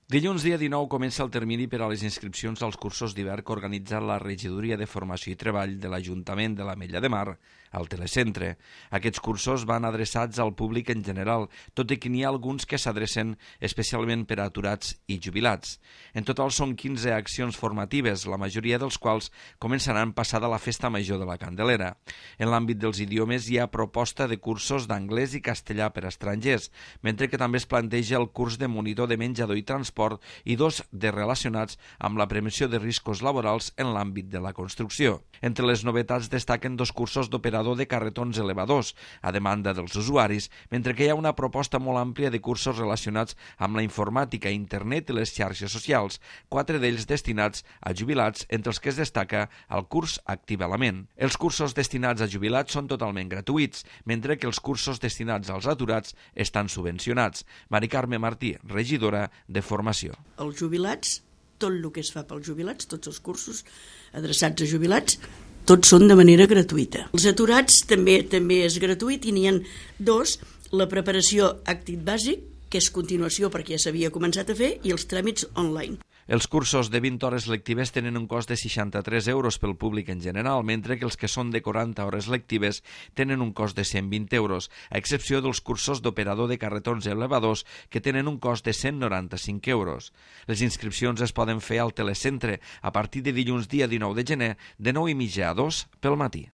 Dilluns, dia 19, comença el termini per a les inscripcions als cursos d'hivern que organitza la Regidoria de Formació i Treball de l'Ajuntament de l'Ametlla de Mar, al Telecentre. Aquests cursos van adreçats al públic en general, tot i que n'hi ha alguns que s'adrecen especialment per a aturats i jubilats. En total són 15 accions formatives, la majoria dels quals començaran passada la Festa Major de la Candelera. En l'àmbit dels idiomes hi ha proposta de cursos d'anglès i castellà per a estrangers, mentre que també es planteja el curs de monitor de menjador i transport i dos de relacionats amb la prevenció de riscos laborals en l'àmbit de la construcció. Entre les novetats destaquen dos cursos d'operador de carretons elevadors, a demanda dels usuaris, mentre que hi ha una proposta molt àmplia de cursos relacionats amb la informàtica, internet i les xarxes socials, 4 d'ells destinats a jubilats, entre els que es destaca el curs Activalament. Els cursos destinats a jubilats són totalment gratuïts, mentre que els cursos destinats als aturats estan subvencionats. Mari Carme Martí, regidora de Formació. Els jubilats, tot el que es fa pels jubilats, tots els cursos adreçats a jubilats, tots són de manera gratuïta. Els aturats també és gratuït i n'hi ha dos, la preparació Actit Bàsic, que és continuació perquè ja s'havia començat a fer, i els tràmits online. Els cursos de 20 hores lectives tenen un cost de 63 euros pel públic en general, mentre que els que són de 40 hores lectives tenen un cost de 120 euros, a excepció dels cursos d'operador de carretons elevadors, que tenen un cost de 195 euros. Les inscripcions es poden fer al Telecentre a partir de dilluns dia 19 de gener de 9:30 a 2 pel matí.